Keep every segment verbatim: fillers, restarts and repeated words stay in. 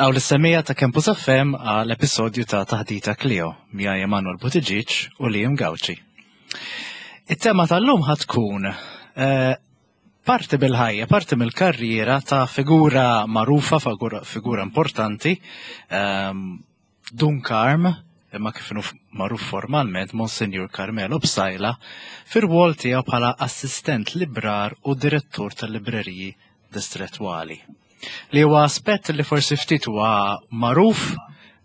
Nilqgħu lis-semmiegħa ta' Campus F M għal episodju ta' Taħdita Clio miegħi, Emanuel Buttigieg u Liam Gauci. It-tema tal-lum ħa tkun eh, parti bil-ħajja, parti mill-karriera ta' figura magħrufa, figura, figura importanti, ehm, Dun Karm, imma kif inhu magħruf formalment Monsignor Carmelo Psaila, fir-rwol tiegħu bħala assistent librar u direttur tal-libreriji distretwali. Li huwa aspett li forsi ftit huwa magħruf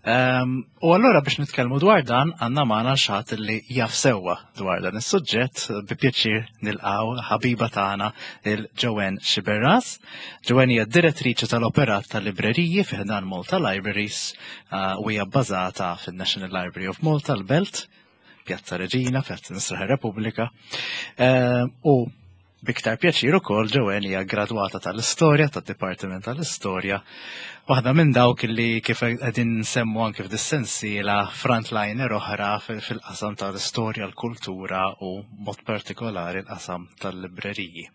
um, u allura biex nitkellmu dwar dan għandna magħna xi ħadd li jaf sewwa dwar dan is-suġġett. Bi pjaċir nilqgħu ħabiba tagħna, lil Joanne Sciberras. Joanne hija direttriċi tal-operat tal-libreriji fi ħdan Malta Libraries uh, u hija bbażata fin-National Library of Malta, l-Belt, Pjazza Reġina, Pjazza Misraħ Repubblika. Uh, u b'iktar pjaċir ukoll, Joanne hija gradwata tal-istorja, tad-Dipartiment tal-Istorja. Waħda minn dawk li, kif qegħdin nsemmu anke f'dis-sensiela, frontliner oħra fil-qasam tal-istorja, l-kultura u mod partikolari l-qasam tal-libreriji.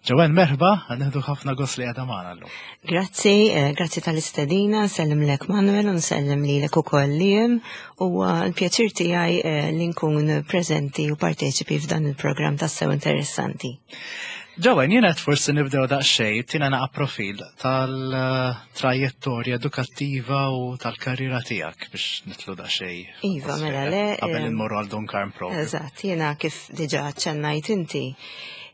Joanne, merħba, ħa nieħdu ħafna gost li qiegħda magħna llum. Grazzi, eh, grazzi tal-istedina, nsellimlek, Manuel, u nsellem lilek ukoll, Liam, u l-pjaċir tiegħi eh, li nkun preżenti u parteċipi f'dan il-programm tassew interessanti. Joanne, jiena forsi nibdew daqsxejn, tina naqa profil tal-trajettorja edukattiva u tal-karriera tiegħek biex nidħlu daqsxejn. Iva, mela le. Qabel immorru għal Dun Karm propju. Eżatt, jiena, kif diġà ċennajt inti,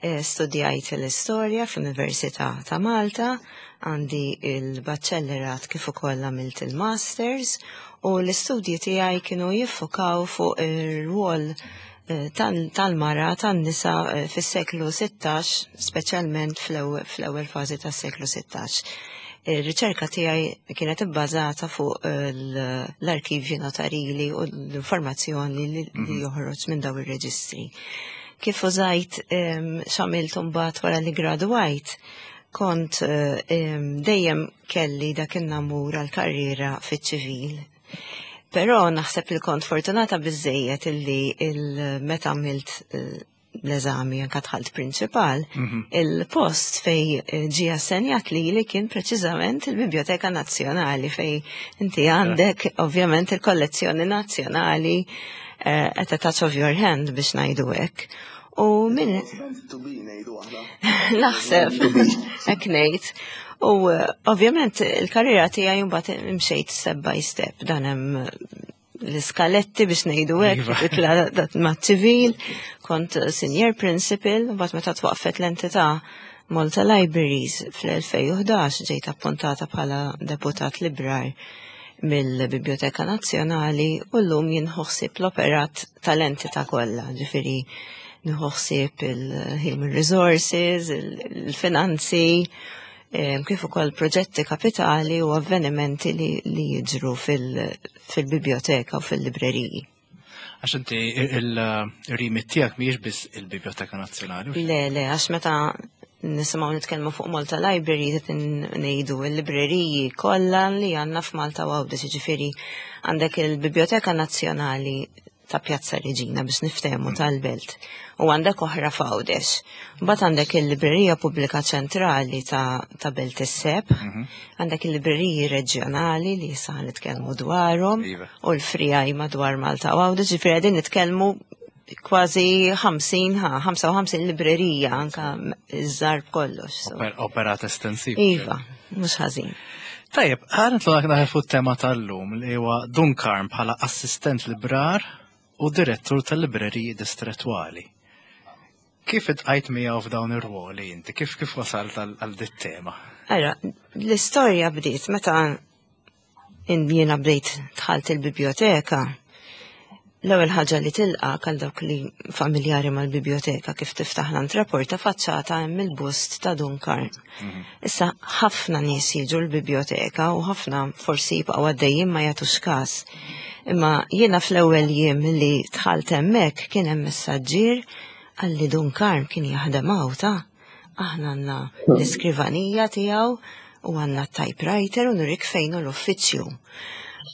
eh, studjajt l-istorja fl-Università ta' Malta, għandi il-baċellerat kif ukoll għamilt il-masters u l-istudji tiegħi kienu jiffokaw fuq ir-rwol eh, tal-mara, tan-nisa eh, fis-seklu sittax, speċjalment fl-ewwel fażi tas-seklu sittax. Ir-riċerka tiegħi kienet ibbażata fuq l-arkivji notarili u l-informazzjoni li mhm. joħroġ minn daw ir-reġistri. Kif użajt x'għamilt mbagħad wara li gradwajt, kont dejjem kelli dak in-namur għal-karriera fiċ-ċivil. Però naħseb li kont fortunata biżejjed illi il-meta għamilt eh, l-eżami, anka dħalt prinċipal, mhm. il-post fej eh, ġi assenjat li li kien preċiżament il-Biblioteka Nazzjonali, fej inti għandek ovvjament il-kollezzjoni nazzjonali eh, at a touch of your hand, biex ngħidu hekk. U minn naħseb hekk ngħid. U eh, ovvjament il-karriera tiegħi mbagħad imxejt step by step, dan hemm l-iskaletti biex ngħidu hekk, Iva. itla ma' ċivil, kont senior principal, u mbagħad meta twaqfet l-entità Malta Libraries fl-elfejn u ħdax ġejt appuntata bħala deputat librar mill-Biblioteka Nazzjonali u llum jien ħossib l-operat tal-entità kollha, ġifieri nħossib il-human resources, il-finanzi, em, kif ukoll proġetti kapitali u avvenimenti li, li jiġru fil-biblioteka u fil-libreriji. Għax inti il-remit tiegħek mhijiex biss il-Biblioteka Nazzjonali. Le, le, għax meta nisimgħu nitkellmu fuq Malta Library qed ngħidu l-libreriji kollha li għandna f'Malta u Għawdex, ġifieri għandek il-Biblioteka Nazzjonali ta' Pjazza Reġina, biex niftehmu, tal-Belt, u għandek oħra f'Għawdex. Mbagħad għandek il-Librerija Pubblika Ċentrali ta', ta Belt is-Sebħ, għandek il-libreriji reġjonali li issa nitkellmu dwarhom Iva. u l-friegħi madwar Malta u Għawdex, ġifieri qegħdin nitkellmu kważi ħamsin, ha, ħamsa u ħamsin librerija, anka iż-żgħar kollox. So. Oper- Operat estensiv. Iva, mhux ħażin. Tajjeb, ħa nidħlu naħe fuq tema tal-lum li huwa Dun Karm bħala assistent librar u direttur tal-libreriji distretwali. Kif iltqajt miegħu f'dawn ir-ruoli inti? Kif kif wasalt għal għal dit-tema? Ara, l-istorja bdiet meta in- jiena bdejt dħalt il-biblioteka. L-ewwel ħaġa li tilqa' għal dawk li familjari mal-biblioteka, kif tiftaħ l-antraporta faċċata hemm il-bust ta' Dun Karm. Issa ħafna nies jiġu l-biblioteka u ħafna forsi jibqgħu għaddejjin, ma jagħtux każ. Imma jiena fl-ewwel jiem li dħalt hemmhekk kien hemm messaġġier qalli, "Dun Karm kien jaħdem hawn ta'. Aħna għandna l-iskrivanija tiegħu u għandna typewriter u nurik fejn hu l-uffiċċju."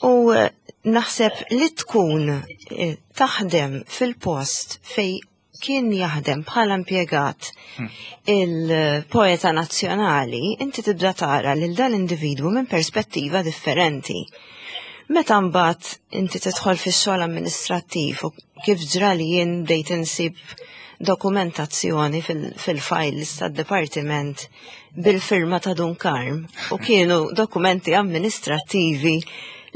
U eh, naħseb li tkun eh, taħdem fil-post fej kien jaħdem bħala impjegat il-poeta nazzjonali, inti tibda tara lil dan individwu minn perspettiva differenti. Meta mbagħad inti tidħol fix-xogħol amministrattiv u kif ġra li jien bdejt insib dokumentazzjoni fil-files tad-dipartiment bil-firma ta' Dun Karm u kienu dokumenti amministrattivi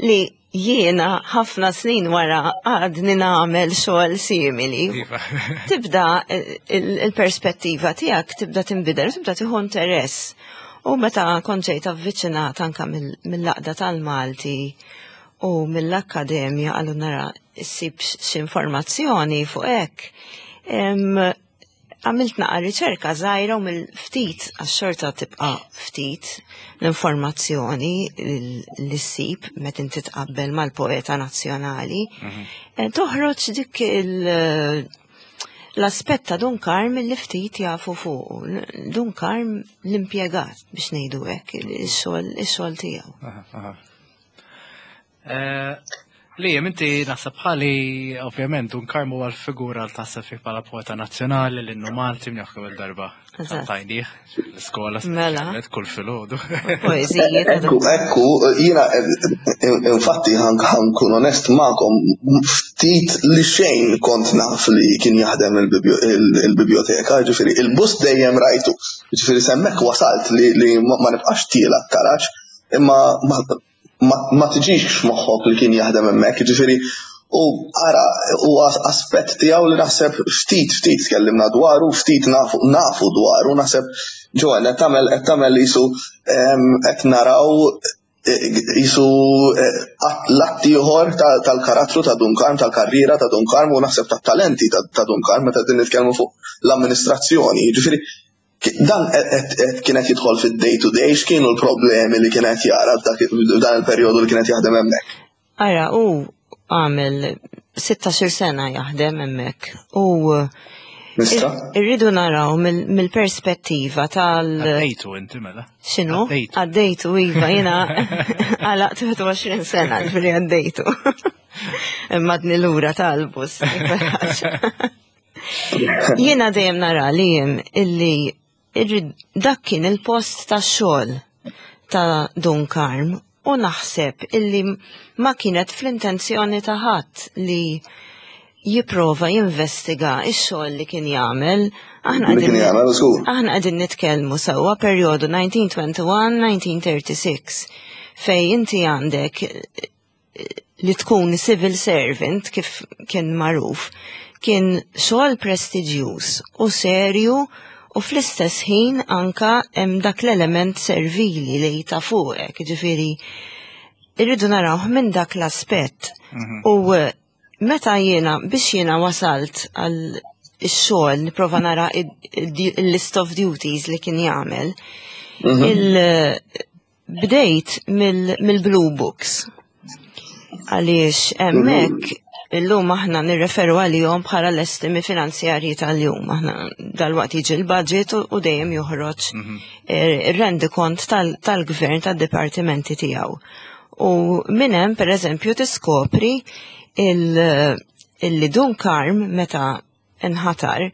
li jiena ħafna snin wara għadni nagħmel xogħol simili. Iva. Tibda il-perspettiva tiegħek tibda tinbidel, tibda tieħu interess. U meta kont ġejt avviċinat anka mill-Għaqda tal-Malti u mill-Akkademja għallu nara issib xi informazzjoni fuq hekk. Għamilt naqa riċerka żgħira u mill-ftit għax-xorta tibqa' ftit l-informazzjoni li ssib meta inti tqabbel mal-poeta nazzjonali. Eh, Toħroġ dik il- l-aspett ta' Dun Karm li ftit jafu fuq. Dun Karm l-impjegat biex ngħidu hekk, ix-xogħol ix-xogħol tiegħu. Aha, aha. Eh, Liam, inti naħseb bħali, ovvjament, Dun Karm huwa l-figura li taħseb fih bħala poeta nazzjonali, l-innu Malti minn kemm il-darba. Eżatt. Tajnieh, l-iskola Mela. speċjalment kull filgħodu. Poeżiji ta' Ekku, ekku, jiena, infatti ħa nkun onest magħkom, ftit li xejn kont naf li kien jaħdem il-biblioteka, ġifieri, il-bust dejjem rajtu, ġifieri s'hemmhekk wasalt li, li ma ma nibqax tiela' taraġ, imma ma, ma, ma tiġix moħħok li kien jaħdem hemmhekk, ġifieri, u ara, u aspett tiegħu li naħseb ftit ftit tkellimna dwaru, ftit nafu, nafu dwaru, naħseb Joanne, qed tagħmel qed tagħmel jisu qed naraw jisu l-att ieħor tal-karattru ta' Dun Karm, tal-karriera ta' Dun Karm u naħseb tat-talenti ta' Dun Karm meta din nitkellmu fuq l-amministrazzjoni. Ġifieri, dan qed kienet jidħol fid-day to day, x'kienu l-problemi li kienet jara f'dan il-perjodu li kienet jaħdem hemmhekk? Ara, u għamel sittax-il sena jaħdem hemmhekk u Mistra? irridu naraw mill-perspettiva tal- Għaddejtu inti mela? X'inhu? Għaddejtu. Għaddejtu, iva, jiena għalaqt wieħed u għoxrin sena ġifieri għaddejtu. Imma għadni lura tal-bus. Jiena dejjem nara li jem illi irrid dak kien il-post ta' xogħol ta' Dun Karm u naħseb illi ma kienet fl-intenzjoni ta' ħadd li jipprova jinvestiga ix-xogħol li kien jagħmel. Aħna Li kien qegħdin jagħmel, żgur. aħna qegħdin nitkellmu sewwa perjodu elf disa' mija u wieħed u għoxrin-elf disa' mija u tlieta u tletin fej inti għandek li tkun civil servant kif kien magħruf kien xogħol prestiġjuż u serju u fl-istess ħin anka hemm dak l-element servili li ta' fuqek, ġifieri irridu narawh minn dak l-aspett. U eh, meta jiena biex jiena wasalt għal ix-xogħol nipprova nara il-list of duties li kien jagħmel, il bdejt mill-Blue Books. Għaliex hemmhekk illum aħna nirreferu għalihom bħala l-estimi finanzjarji tal-jum. Aħna dal-waqt jiġi l-budget u dejjem joħroġ ir-rendikont tal-gvern tad-dipartimenti tiegħu. U minn hemm pereżempju tiskopri il-li Dun Karm meta nħatar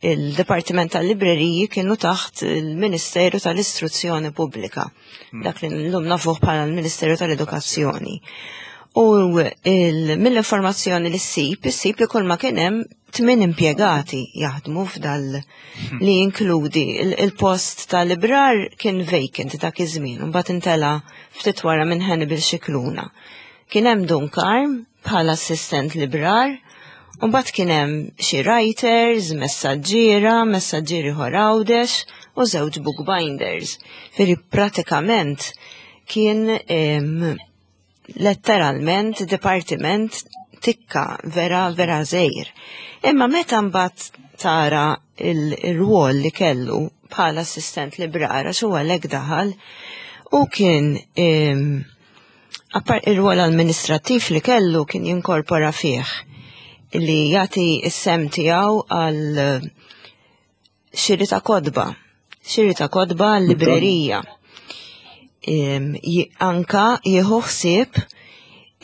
il-Dipartiment tal-Libreriji kienu taħt il-Ministeru tal-Istruzzjoni Pubblika. Dak li l-lum nafuh bħala l-Ministeru tal-Edukazzjoni. U mill-informazzjoni li ssib, issib li kull ma kien hemm tmien impjegati jaħdmu f'dal li jinkludi il-post tal-librar kien vacant dak iż-żmien, u mbagħad intela ftit wara minn Hannibal Scicluna. Kien hemm Dun Karm bħala assistent librar, u mbagħad kien hemm xi writers, messaġġiera, messaġġieri ieħor Għawdex u żewġ bookbinders. Ġifieri pratikament kien letteralment dipartiment tikka vera vera żgħir. Imma meta mbagħad tara il-rwol li kellu bħala assistent librara xu għalhekk daħal u kien appar ir-rwol amministrattiv li kellu kien jinkorpora fih li jagħti s-sehem tiegħu għal xiri ta' kotba, xiri ta' kotba għal-librerija. Anka jieħu ħsieb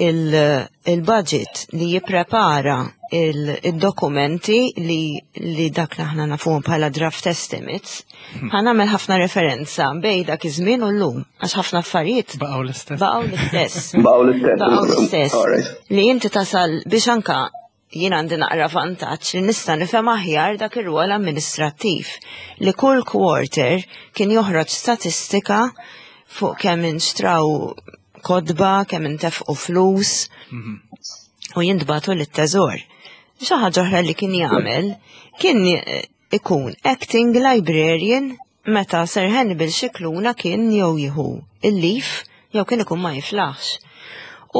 il-budget li jipprepara il-dokumenti li, li dak li aħna nafuhom bħala draft estimates, ħa nagħmel ħafna referenza bejn dak iż-żmien u llum, għax ħafna affarijiet Baqgħu l-istess. baqgħu l-istess. Baqgħu l-istess. Baqgħu l-istess. Alright. Li inti tasal biex anka jien għandi naqra vantaġġ li nista' nifhem aħjar dak ir-rwol amministrattiv li kull quarter kien joħroġ statistika fuq kemm inxtraw kotba, kemm intefqu flus u jintbagħtu lit-teżor. Xi ħaġa oħra li kien jagħmel kien eh, ikun acting librarian meta Sir Hannibal Scicluna kien jew jieħu il-leave jew kien ikun ma jiflaħx.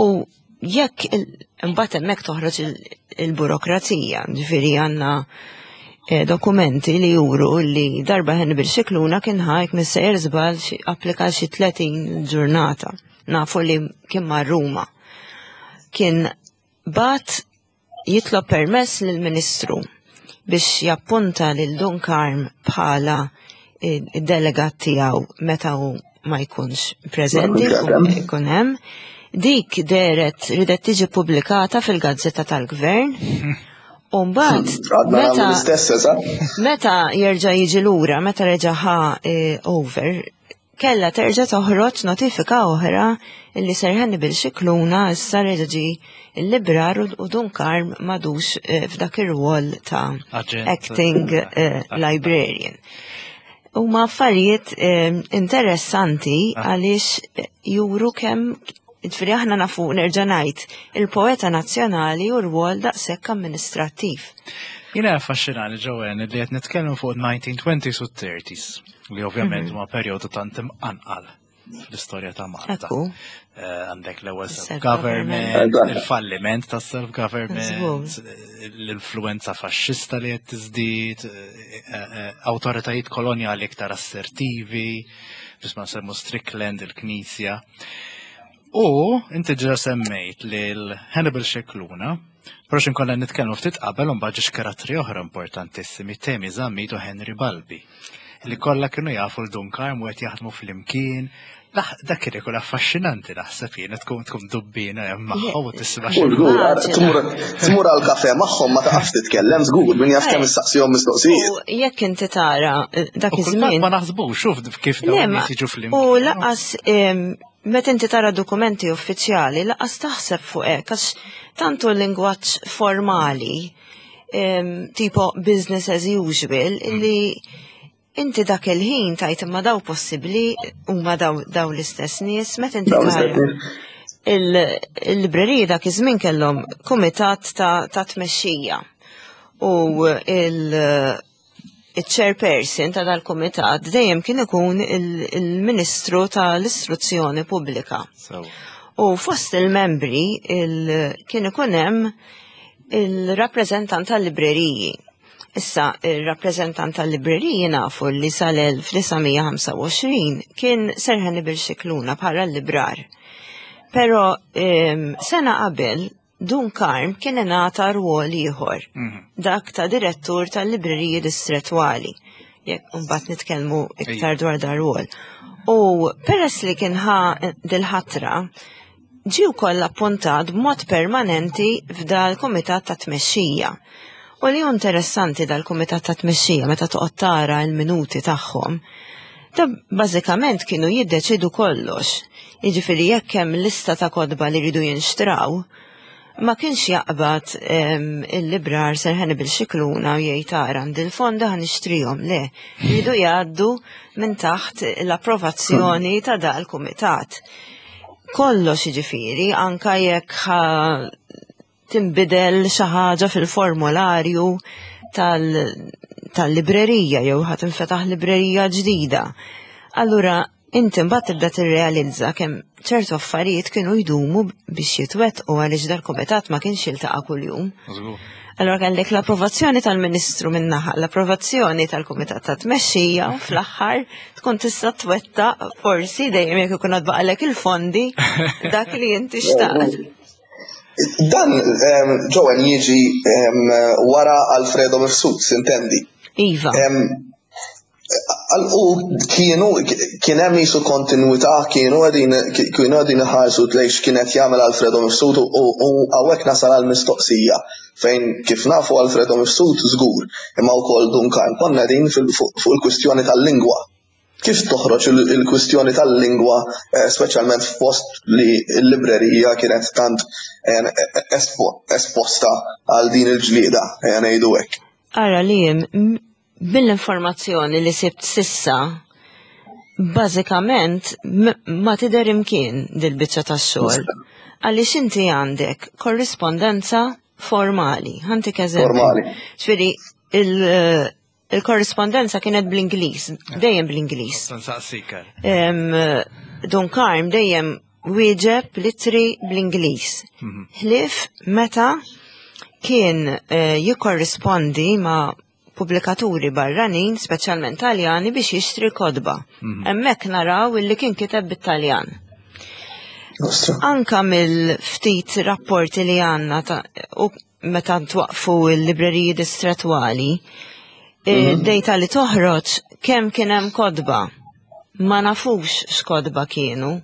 U jekk il- imbagħad hemmhekk toħroġ il- il-burokrazija, ġifieri għandna eh, dokumenti li juru li darba Hannibal Scicluna kien ħajk missejjer żball xi applika xi tletin ġurnata. Nafu li kien mar Ruma. Kien bagħat jitlob permess lill-Ministru biex jappunta lil Dun Karm bħala id-delegat tiegħu meta hu ma jkunx preżenti, Ma jkunx hemm. ikun hemm. Dik deret ridet tiġi pubblikata fil-Gazzetta tal-Gvern. U mbagħad Għadna nagħmlu meta l-istess, eżatt. meta jerġa' jiġi lura, meta reġa' ħa eh, over, kella terġa' toħroġ notifika oħra illi Sir Hannibal Scicluna issa reġa' ġie il-librar u u Dun Karm m'għadux eh, f'dak ir-rwol ta' Aġent. acting eh, librarian. Huma affarijiet eh, interessanti għaliex eh, juru kemm ġifieri aħna nafu, nerġa' ngħid, il-poeta nazzjonali u rwol daqshekk amministrattiv. Jiena affaxxinani, Joanne, li qed nitkellmu fuq nineteen twenties u thirties, li ovvjament huma perjodu tant imqanqal fl-istorja ta' Malta. Ekku. Eh, Għandek l-ewwel Self-government. self-government, il-falliment ta' self-government, Żgur. l-influenza faxxista li qed tiżdied, eh, eh, awtoritajiet kolonjali iktar assertivi, biex ma nsemmu Strickland, il-Knisja. U inti ġa semmejt lil Hannibal Scicluna, però xin konna nitkellmu ftit qabel, un ġiex karattri oħra importantissimi, Temi Zammit u Henry Balbi, li kollha kienu jafu lil Dun Karm u qed jaħdmu flimkien. Dak kien ikun affaxxinanti, naħseb jien, tkun tkun dubbina hemm magħhom u tisma' Żgur, x'inhu. tmur tmur għal kafe magħhom, ma taqafx titkellem żgur, min jaf kemm issaqsihom mistoqsijiet. U jekk inti tara eh, dak U kultant iż-żmien ma naħsbux, xuf kif Le, dawn ma- nies jiġu flimkien. U lanqas em, meta inti tara dokumenti uffiċjali, lanqas taħseb fuq hekk, għax tantu l-lingwaġġ formali, em, tipo business as usual, illi inti dak il-ħin tgħid, imma daw possibbli huma daw, daw l-istess nies? Meta inti Dawn l-istess tara nies. il- il-libreriji dak iż-żmien kellhom kumitat ta', ta' tmexxija u il- il-chairperson ta' dal-kumitat dejjem kien ikun il- il-Ministru tal-Istruzzjoni Pubblika. So, U fost il-membri il kien ikun hemm il-rappreżentant tal-libreriji. Issa, il-rappreżentant tal-libreriji nafu li sal-elf disa' mija ħamsa u għoxrin kien Sir Hannibal Scicluna bħala l-librar. Pero em, sena qabel Dun Karm kien ingħata rwol ieħor, dak ta' direttur tal-libreriji distretwali. Jekk mbagħad nitkellmu iktar dwar dar rwol. U peress li kien ħa dil-ħatra, ġie wkoll appuntat b'mod permanenti f'dal-kumitat ta' tmexxija. U li hu interessanti, dal-kumitat ta' tmexxija, meta toqgħod tara l-minuti tagħhom, da bażikament kienu jiddeċidu kollox. Jiġifieri jekk hemm lista ta' kotba li jridu jinxtraw, ma kienx jaqbad em, il-librar Sir Hannibal Scicluna u jgħid, "Ara, għandi l-fondi, ħa nixtrihom." Le, jridu jgħaddu minn taħt l-approvazzjoni ta' dal-kumitat. Kollox jiġifieri, anka jekk ħa tinbidel xi ħaġa fil-formularju tal- tal-librerija jew ħa tinfetaħ librerija ġdida. Allura, inti mbagħad tibda tirrealizza kemm ċertu affarijiet kienu jdumu biex jitwettqu għaliex dal-kumitat ma kienx jiltaqa' kuljum. Żgur. Allora kellek l-approvazzjoni tal-Ministru min-naħa, l-approvazzjoni tal-Kumitat ta' Tmexxija u fl-aħħar tkun tista' twettaq, forsi dejjem jekk ikun għad il-fondi, dak li inti xtaqt. Dan, em, Joanne, jiġi em, wara Alfredo Mifsud, sintendi. Iva. Em, għal- U kienu, kien hemm jisu kontinuità, kienu qegħdin kienu qegħdin iħarsu lejn x'kienet jagħmel Alfredo Mifsud u u hawnhekk nasal għal mistoqsija. Fejn kif nafu Alfredo Mifsud żgur, imma wkoll Dun Karm konna din fuq il-kwistjoni tal-lingwa. Kif toħroġ il-kwistjoni tal-lingwa, eh, speċjalment f'post li l-librerija kienet tant eh, esposta għal din il-ġlieda, eh, ngħidu hekk? Ara li mill-informazzjoni li sibt s'issa, bażikament ma tidher imkien dil-biċċa tax-xogħol. Għaliex inti għandek korrispondenza formali. Ħa ntik eżempju. Formali. Ġifieri, il-korrispondenza kienet bl-Ingliż, dejjem bl-Ingliż. Dun Karm dejjem wieġeb l-ittri bl-Ingliż. Mhm. Ħlief meta kien eh, jikkorrispondi ma' pubblikaturi barranin, speċjalment Taljani, biex jixtri kotba. Mhm. Hemmhekk naraw illi kien kiteb bit-Taljan. Anka mill-ftit rapporti li għandna u meta twaqfu l-libreriji distretwali, mhm. dejta li toħroġ kemm kien hemm kotba. Ma nafux x'kotba kienu.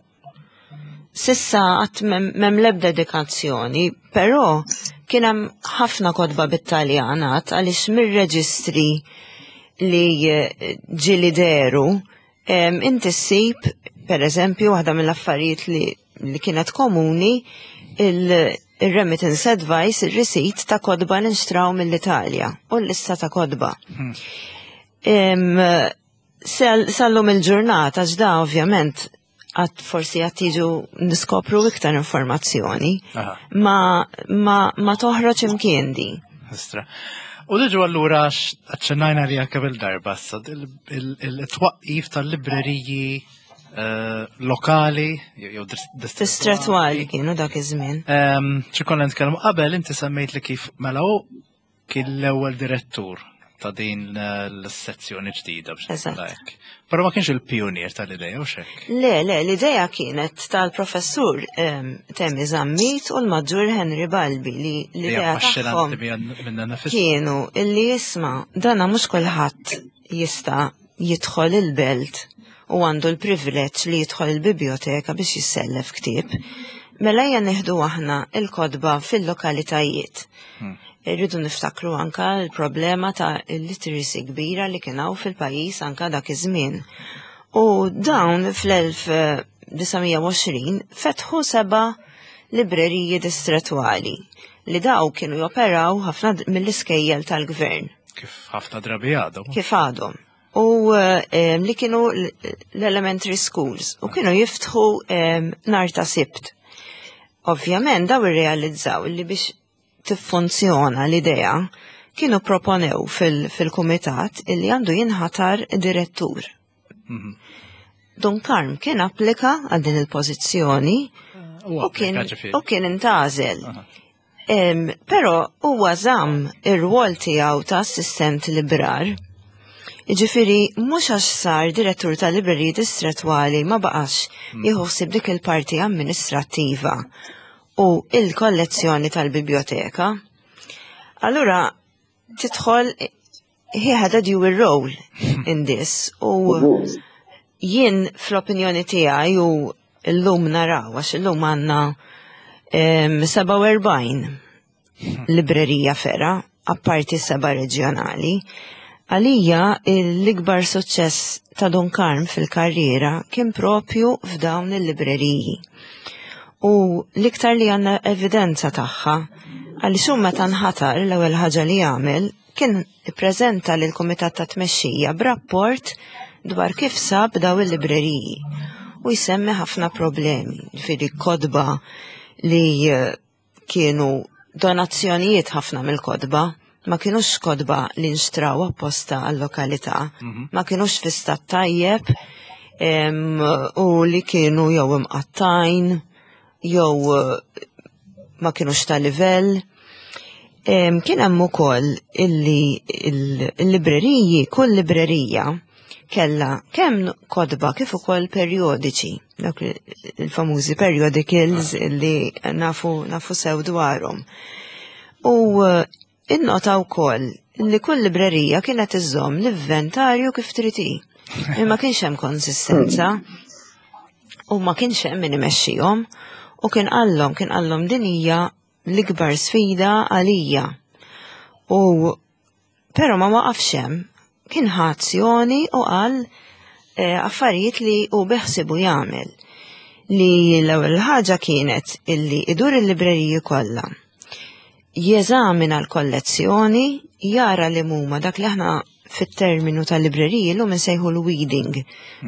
S'issa għad m'hemm l-ebda dedikazzjoni, però kien hemm ħafna kotba bit-Taljan għaliex mir-reġistri li eh, ġieli dehru, inti ssib, per eżempju, waħda mill-affarijiet li, li kienet komuni, il-remittance advice, il-receipt ta' kotba li nxtraw mill-Italja u l-lista ta' kotba. Hmm. Sal-lum il-ġurnata, ġda ovvjament, għad forsi għad tiġu niskopru iktar informazzjoni, ma, ma, ma toħroġ imkien di. U diġu allura aċċennajna li għakka bil-darba, il-twaqqif tal-libreriji eh, lokali, jew distretwali kienu dak iż-żmien. Xi konna nitkellmu qabel, inti semmejt li kif mela hu kien l-ewwel direttur ta' din l-sezzjoni ġdida biex Eżatt. ngħidlek. Però ma kienx il-pionier tal-idea u xek. Le, le, l-idea kienet tal-professur em, Temi Zammit u l-maġġur Henry Balbi li l-idea tagħhom minna nafis. kienu illi jisma' dana mhux kulħadd jista' jidħol il-belt u għandu l-privileġġ li jidħol il-biblioteka biex jissellef ktieb. Mela ejja nieħdu aħna il-kotba fil-lokalitajiet. Irridu niftakru anka l-problema ta' illiteracy kbira li kien hawn fil-pajjiż anka dak iż-żmien. U dawn fl-elf disa' mija u għoxrin fetħu seba' libreriji distretwali li daw kienu joperaw ħafna mill-iskejjel tal-gvern Kif ħafna drabi għadhom. Kif għadhom. U eh, li kienu l-elementary schools u kienu jiftħu eh, nhar ta' Sibt. Ovvjament daw irrealizzaw li biex tiffunzjona l-idea kienu proponew fil-kumitat illi għandu jinħatar direttur. Mhm. Dun Karm kien applika għal din il-pożizzjoni U u kien, applika ġifieri. u kien intgħażel. Aha. Em, Però huwa żamm ir-rwol tiegħu ta' assistent librar. Ġifieri, mhux għax sar direttur tal-libreriji distretwali ma baqax jieħu ħsieb dik il-parti amministrattiva u il-kollezzjoni tal-biblioteka. Allura, tidħol, he had a dual role in this u jien fl-opinjoni tiegħi, u llum naraw għax illum għandna em, sebgħa u erbgħin librerija fergħa, apparti seba' reġjonali. Għalija l-ikbar suċċess ta' Dun Karm fil-karriera kien propju f'dawn il-libreriji. U l-iktar li għandna evidenza tagħha, għaliex hu meta nħatar l-ewwel ħaġa li għamel kien ippreżenta lil kumitat ta' tmexxija b'rapport dwar kif sab daw il-libreriji. U jsemmi ħafna problemi, ġifieri kotba li eh, kienu donazzjonijiet, ħafna mill-kotba, ma kienux kotba li nxtraw apposta għal-lokalità, ma kienux fi stat tajjeb em, u li kienu jew imqattajn, jew eh, ma kienux ta' livell. Em, Kien hemm ukoll illi il-libreriji, kull librerija kella kemm kotba kif ukoll perjodiċi, dak il-famużi periodicals illi nafu, nafu sew dwarhom. U eh, innota wkoll li kull librerija kienet iżżomm l-inventarju kif trid hi. Imma kienx hemm konsistenza u ma kienx hemm min imexxihom u kien qallhom kien qallhom din hija l-ikbar sfida għalija. U però ma waqafx hemm, kien ħa azzjoni u qal eh, affarijiet li hu beħsibu jagħmel. Li l-ewwel ħaġa kienet illi idur il-libreriji kollha. Jeżamina l-kollezzjoni, jara li huma dak li aħna fit-terminu tal-libreriji llum insejħu l-weeding.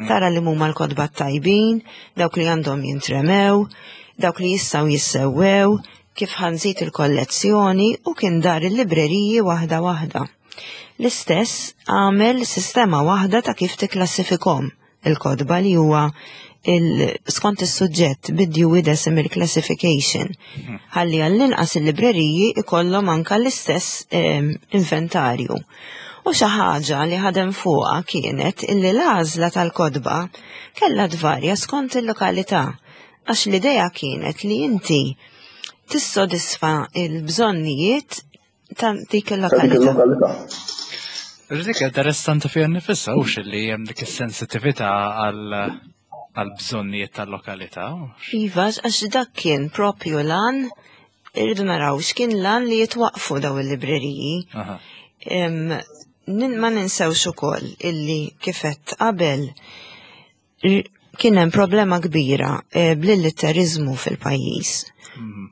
Tara li huma l-kotba tajbin, dawk li għandhom jintremew, dawk li jistgħu jissewwew, kif ħa nżid il-kollezzjoni u kien dar il-libreriji waħda waħda. L-istess għamel sistema waħda ta' kif tikklassifikhom il-kotba li huwa il skont is-suġġett bid-Dewey Decimal Classification. Ħalli għall-inqas il-libreriji ikollhom anka l-istess em, inventarju. U xi ħaġa li ħadem fuqha kienet illi l-għażla tal-kotba kellha tvarja skont il-lokalità għax l-idea kienet li inti tissodisfa il-bżonnijiet ta' dik Ta' dik il-lokalità. il-lokalità. Dik interessanti fiha nifisha u li hemm dik is-sensitività għal għal bżonnijiet tal-lokalità. Iva, għax dak kien propju l-għan, irridu naraw x'kien l-għan li jitwaqfu daw il-libreriji. Aha. Em, nin- Ma ninsewx ukoll illi kif għedt qabel r- kien hemm problema kbira eh, bl-illitterizmu fil-pajjiż.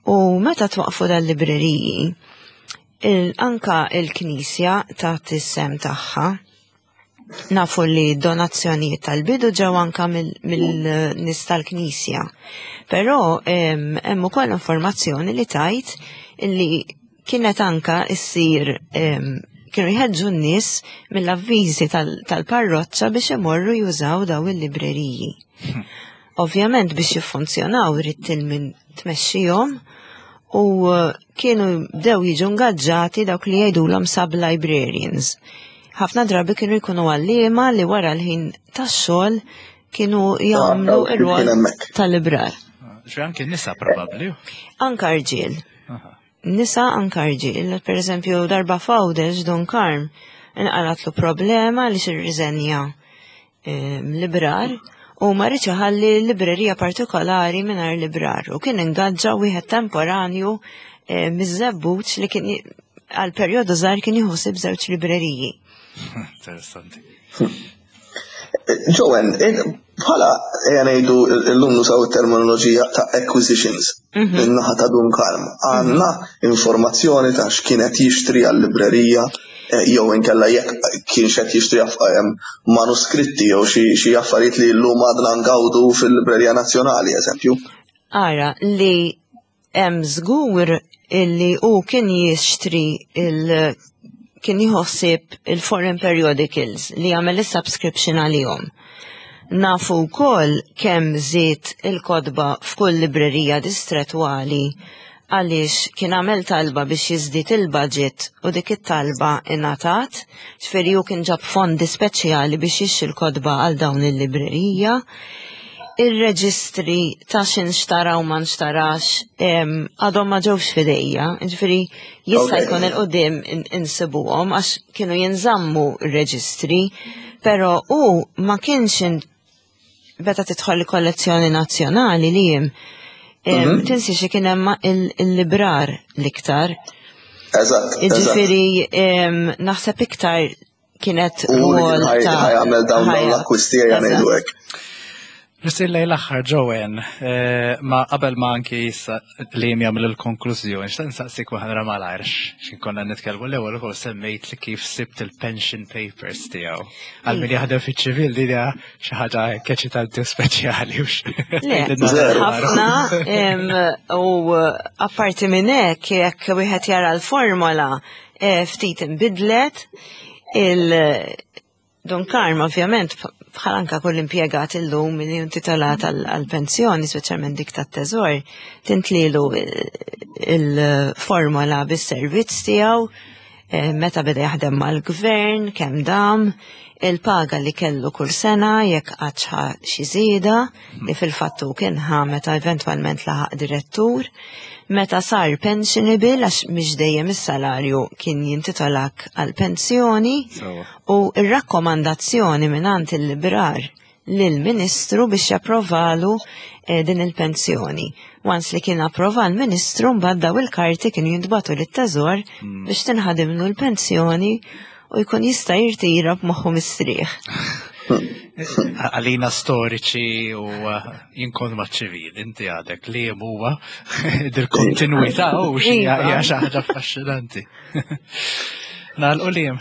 U meta twaqfu dal-libreriji, il anka il-Knisja tat is-sehem tagħha. Nafu li donazzjonijiet tal-bidu ġew anka mill-nies tal-Knisja. Però em, hemm ukoll informazzjoni li tajt li kienet anka issir em, kienu jħeġġu n-nies mill-avviżi tal- tal-parroċċa biex imorru jużaw daw il-libreriji. Ovvjament biex jiffunzjonaw irid min tmexxihom u eh, kienu bdew jiġu ngaġġati dawk li jgħidulhom sub-librarians. Ħafna drabi kienu jkunu għalliema li wara l-ħin tax-xogħol kienu jagħmlu dawk li ir-rwol kien hemmhekk. tal-librar. Ġri anke nisa probabbli. Anka rġiel. Aha. Nisa anka rġiel. Per eżempju, darba f'Għawdex Dun Karm inqalatlu problema li xirriżenja librar u ma riedx iħalli librerija partikolari mingħajr librar u kien ingaġġa wieħed temporanju eh, miż-Żebbuġ li kien għal perjodu żgħar kien jħossib żewġ libreriji. Interessanti. Joanne, bħala ngħidu l-lum nużaw terminoloġija ta' acquisitions min-naħa ta' Dun Karm. Għandna informazzjoni ta' x'kienet jixtri għal-librerija eh, jew inkella jekk kien qed jixtri em, manuskritti jew xi xi affarijiet li llum għadna ngawdu fil-Librerija Nazzjonali, eżempju. Ara, li hemm żgur illi hu kien jixtri il kien jħossib il-foreign periodicals li jagħmel is-subscription għalihom. Nafu wkoll kemm żied il-kotba f'kull librerija distretwali għaliex kien għamel talba biex jiżdied il-budget u dik it-talba ingħatat, ġifieri hu kien ġab fondi speċjali biex jixtri l-kotba għal dawn il-librerija. Ir-reġistri ta' xin xtara u ma nxtarax em, għadhom ma ġewx f'idejja, ġifieri jista' Ok. jkun il-qudiem in- insibuhom għax kienu jinżammu r-reġistri, però hu ma kienx in- meta tidħol il-kollezzjoni nazzjonali li jim em, tinsi xi kien hemm il- il-librar l-iktar. Eżatt, eżatt. Ġifieri em, naħseb iktar kienet U li rwol kien ta' ħa jagħmel dawn dawn ħajja. l-akkwisti ejja ngħidu Eżatt. hekk. Forsi lejn l-aħħar Joanne, eh, ma qabel ma anki issa li jagħmel il-konklużjoni, xtaqt nsaqsik waħda malajr, x'in konna nitkellmu l-ewwel ukoll semmejt li kif sibt il-pension papers tiegħu. Għal min jaħdem fiċ-ċivil din hija xi ħaġa eċitanti u speċjali. u x- Le, Zero. ħafna em, u apparti minn hekk jekk wieħed jara l-formola eh, ftit inbidlet il Dun Karm ovvjament bħal anka kull impjegat illum li intitolat għal-pensjoni, speċjalment dik tat-teżor, tintlilu il-formola bis-servizz tiegħu, eh, meta beda jaħdem mal-gvern, kemm dam, il-paga li kellu kull sena jekk għadx ħa xi żieda li fil-fattu kien ħa meta eventwalment laħaq direttur, meta sar pensionable għax mhix dejjem is-salarju kien jintitolak għal pensjoni Sewwa. u ir-rakkomandazzjoni mingħand il-librar lill-Ministru biex japprovalu eh, din il-pensjoni. Once li kien approva l-Ministru, mbagħad daw il-karti kienu jintbagħtu lit-teżor biex tinħadimlu l-pensjoni u jkun jista' jirtira b'moħħu mistrieħ. Għalina storiċi u uh, jien kont maċ-ċivil, inti għadek li huwa dil-kontinuità u xi Iva. Hija xi ħaġa affaxxinanti. Nagħlqu, Liam.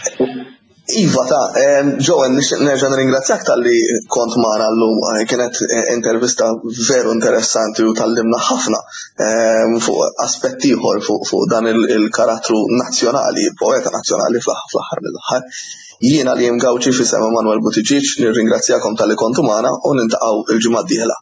Iva ta' em, Joanne, nixtieq nerġa' nirringrazzjak talli kont magħna llum. Eh, Kienet eh, intervista veru interessanti u tgħallimna ħafna em, fuq aspetti ieħor fuq fuq dan il- il-karattru nazzjonali, poeta nazzjonali fl-aħħar mill-aħħar. Jiena Liam Gauci f'isem Emanuel Buttigieg nirringrazzjakom talli kontu magħna u niltaqgħu il-ġimgħa d-dieħla.